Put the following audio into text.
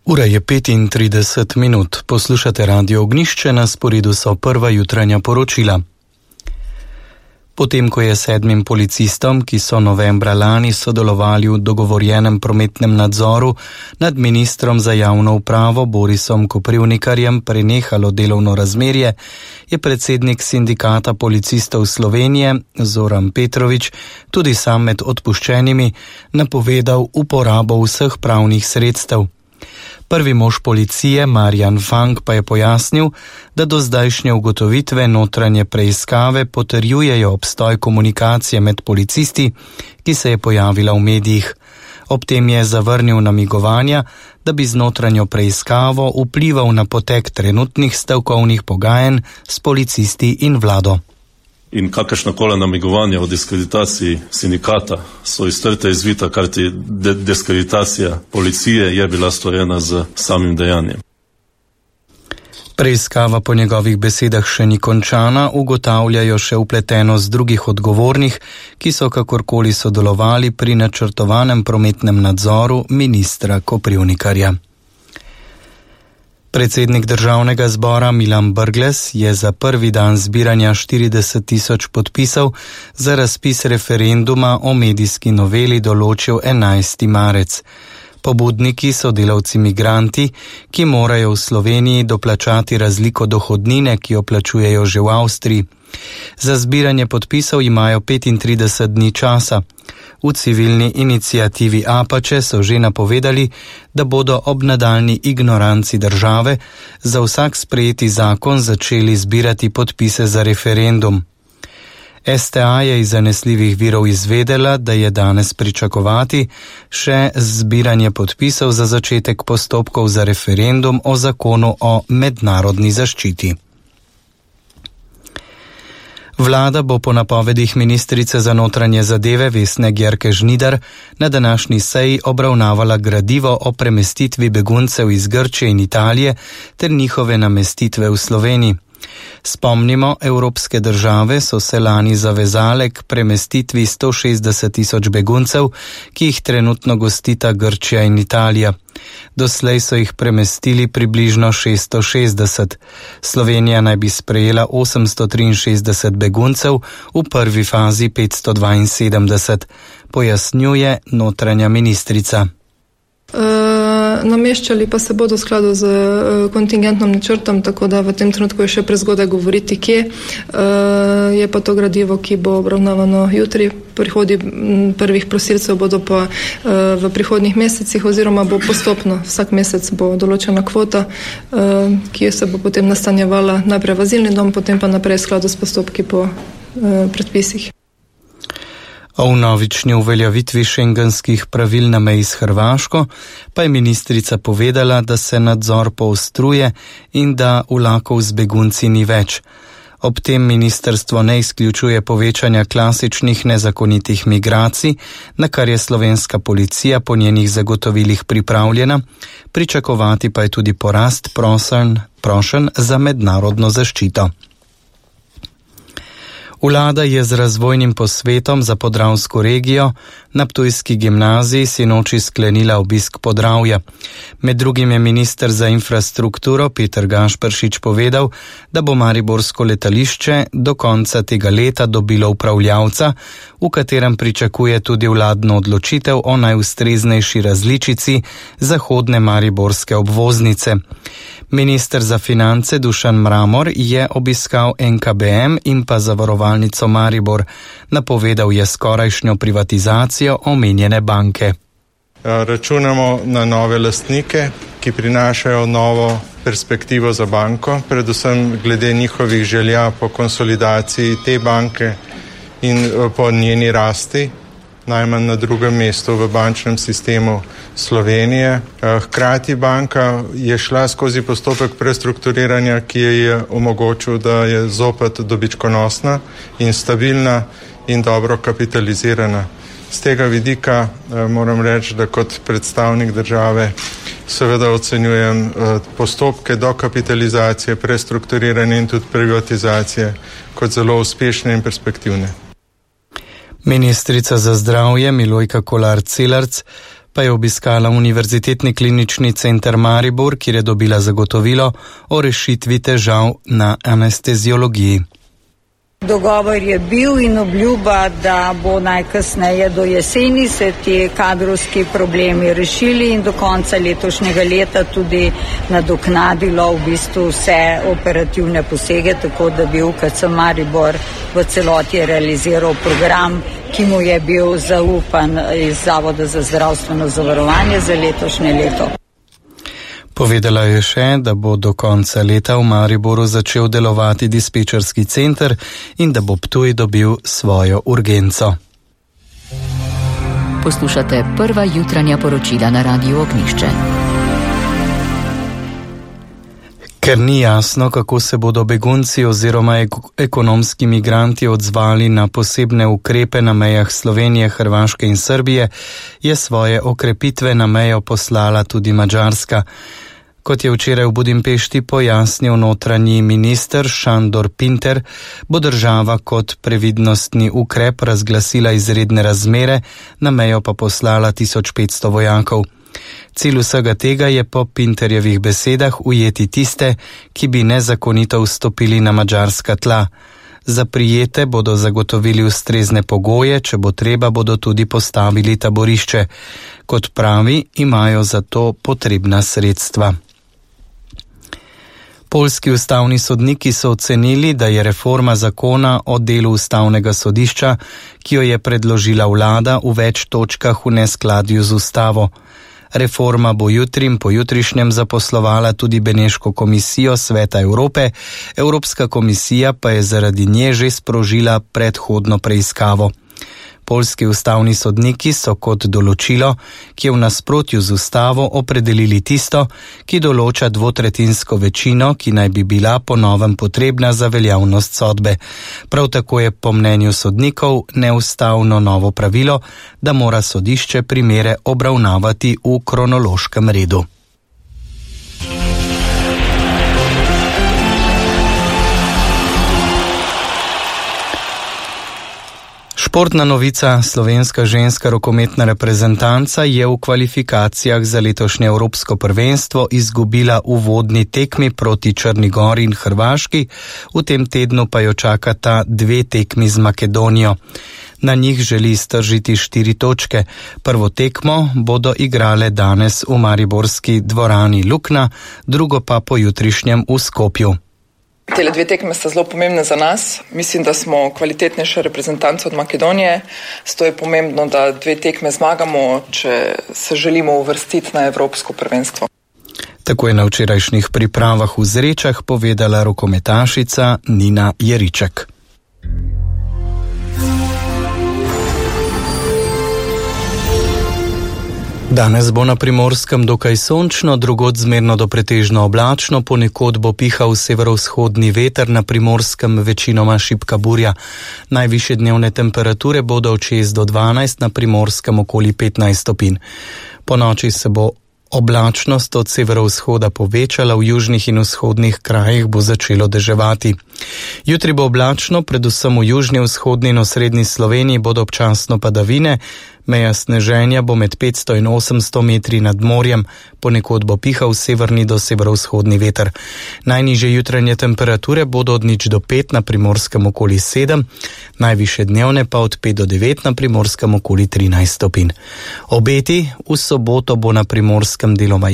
Ura je 35 minut. Poslušate Radio Ognjišče, na sporedu so prva jutranja poročila. Potem, ko je 7 policistom, ki so novembra lani sodelovali v dogovorjenem prometnem nadzoru nad ministrom za javno upravo Borisom Koprivnikarjem prenehalo delovno razmerje, je predsednik sindikata policistov Slovenije Zoran Petrovič, tudi sam med odpuščenimi, napovedal uporabo vseh pravnih sredstev. Prvi mož policije Marjan Fang pa je pojasnil, da do zdajšnje ugotovitve notranje preiskave potrjujejo obstoj komunikacije med policisti, ki se je pojavila v medijih. Ob tem je zavrnil namigovanja, da bi z notranjo preiskavo vplival na potek trenutnih stavkovnih pogajanj s policisti in vlado. In kakršnakoli namigovanja o diskreditaciji sindikata so iztrte izvita, kar ti diskreditacija policije je bila storjena z samim dejanjem. Preiskava po njegovih besedah še ni končana, ugotavljajo še vpletenost drugih odgovornih, ki so kakorkoli sodelovali pri načrtovanem prometnem nadzoru ministra Koprivnikarja. Predsednik državnega zbora Milan Brglez je za prvi dan zbiranja 40.000 podpisov za razpis referenduma o medijski noveli določil 11. marec. Pobudniki so delavci migranti, ki morajo v Sloveniji doplačati razliko dohodnine, ki jo plačujejo že v Avstriji. Za zbiranje podpisov imajo 35 dni časa. V civilni iniciativi Apače so že napovedali, da bodo ob nadaljnji ignoranci države za vsak sprejeti zakon začeli zbirati podpise za referendum. STA je iz zanesljivih virov izvedela, da je danes pričakovati še zbiranje podpisov za začetek postopkov za referendum o zakonu o mednarodni zaščiti. Vlada bo po napovedih ministrice za notranje zadeve Vesne Györke Žnidar na današnji seji obravnavala gradivo o premestitvi beguncev iz Grčije in Italije ter njihove namestitve v Sloveniji. Spomnimo, evropske države so se lani zavezale k premestitvi 160.000 beguncev, ki jih trenutno gostita Grčija in Italija. Doslej so jih premestili približno 660. Slovenija naj bi sprejela 863 beguncev, v prvi fazi 572, pojasnjuje notranja ministrica. Nameščali pa se bodo v skladu z kontingentnom načrtom, tako da v tem trenutku je še prezgodaj govoriti, kje. Je pa to gradivo, ki bo obravnavano jutri. Prihodi prvih prosilcev bodo pa v prihodnjih mesecih oziroma bo postopno. Vsak mesec bo določena kvota, ki se bo potem nastanjevala najprej v azilni dom, potem pa naprej v skladu s postopki po predpisih. O vnovični uveljavitvi šengenskih pravil na meji s Hrvaško pa je ministrica povedala, da se nadzor poostruje in da vlakov z begunci ni več. Ob tem ministrstvo ne izključuje povečanja klasičnih nezakonitih migracij, na kar je slovenska policija po njenih zagotovilih pripravljena, pričakovati pa je tudi porast prošenj za mednarodno zaščito. Vlada je z razvojnim posvetom za podravsko regijo na Ptujski gimnaziji sinoči sklenila obisk Podravja. Med drugim je minister za infrastrukturo Peter Gašperšič povedal, da bo mariborsko letališče do konca tega leta dobilo upravljavca, v katerem pričakuje tudi vladno odločitev o najustreznejši različici zahodne mariborske obvoznice. Minister za finance Dušan Mramor je obiskal NKBM in pa Zavarovalnico Maribor. Napovedal je skorajšnjo privatizacijo omenjene banke. Računamo na nove lastnike, ki prinašajo novo perspektivo za banko, predvsem glede njihovih želja po konsolidaciji te banke in po njeni rasti, najmanj na drugem mestu v bančnem sistemu Slovenije. Hkrati banka je šla skozi postopek prestrukturiranja, ki je omogočil, da je zopet dobičkonosna in stabilna in dobro kapitalizirana. Z tega vidika moram reči, da kot predstavnik države seveda ocenjujem postopke dokapitalizacije, prestrukturiranja in tudi privatizacije kot zelo uspešne in perspektivne. Ministrica za zdravje Milojka Kolar Celarc pa je obiskala Univerzitetni klinični center Maribor, kjer je dobila zagotovilo o rešitvi težav na anesteziologiji. Dogovor je bil in obljuba, da bo najkasneje do jeseni se ti kadrovski problemi rešili in do konca letošnjega leta tudi nadoknadilo v bistvu vse operativne posege, tako da bi UKC Maribor v celoti realiziral program, ki mu je bil zaupan iz Zavoda za zdravstveno zavarovanje za letošnje leto. Povedala je še, da bo do konca leta v Mariboru začel delovati dispečerski center in da bo Ptuj dobil svojo urgenco. Poslušate prva jutranja poročila na Radiu Ognjišče. Ker ni jasno, kako se bodo begunci oziroma ekonomski migranti odzvali na posebne ukrepe na mejah Slovenije, Hrvaške in Srbije, je svoje okrepitve na mejo poslala tudi Madžarska. Kot je včeraj v Budimpešti pojasnil notranji minister Šandor Pinter, bo država kot previdnostni ukrep razglasila izredne razmere, na mejo pa poslala 1500 vojakov. Cilj vsega tega je po Pinterjevih besedah ujeti tiste, ki bi nezakonito vstopili na madžarska tla. Za prijete bodo zagotovili ustrezne pogoje, če bo treba, bodo tudi postavili taborišče. Kot pravi, imajo za to potrebna sredstva. Poljski ustavni sodniki so ocenili, da je reforma zakona o delu ustavnega sodišča, ki jo je predložila vlada, v več točkah v neskladju z ustavo. Reforma bo jutri in pojutrišnjem zaposlovala tudi Beneško komisijo Sveta Evrope, Evropska komisija pa je zaradi nje že sprožila predhodno preiskavo. Poljski ustavni sodniki so kot določilo, ki je v nasprotju z ustavo, opredelili tisto, ki določa dvotretjinsko večino, ki naj bi bila po novem potrebna za veljavnost sodbe. Prav tako je po mnenju sodnikov neustavno novo pravilo, da mora sodišče primere obravnavati v kronološkem redu. Športna novica, slovenska ženska rokometna reprezentanca je v kvalifikacijah za letošnje evropsko prvenstvo izgubila uvodni tekmi proti Črni Gori in Hrvaški, v tem tednu pa jo čakata 2 tekmi z Makedonijo. Na njih želi iztržiti 4 točke. Prvo tekmo bodo igrale danes v mariborski dvorani Lukna, drugo pa pojutrišnjem v Skopju. Tele 2 tekme sta zelo pomembne za nas. Mislim, da smo kvalitetnejša reprezentanca od Makedonije. Zato je pomembno, da 2 tekme zmagamo, če se želimo uvrstiti na evropsko prvenstvo. Tako je na včerajšnjih pripravah v Zrečah povedala rokometašica Nina Jeriček. Danes bo na Primorskem dokaj sončno, drugod zmerno do pretežno oblačno, ponekod bo pihal severovzhodni veter, na Primorskem večinoma šibka burja. Najvišje dnevne temperature bodo od 6 do 12, na Primorskem okoli 15 stopinj. Po noči se bo oblačnost od severovzhoda povečala, v južnih in vzhodnih krajih bo začelo deževati. Jutri bo oblačno, predvsem v južni, vzhodni in osrednji Sloveniji bodo občasno padavine. Meja sneženja bo med 500 in 800 metri nad morjem, ponekod bo pihal severni do severovzhodni veter. Najnižje jutranje temperature bodo od 0 do 5, na Primorskem okoli 7, najvišje dnevne pa od 5 do 9, na Primorskem okoli 13 stopinj. Obeti: v soboto bo na Primorskem deloma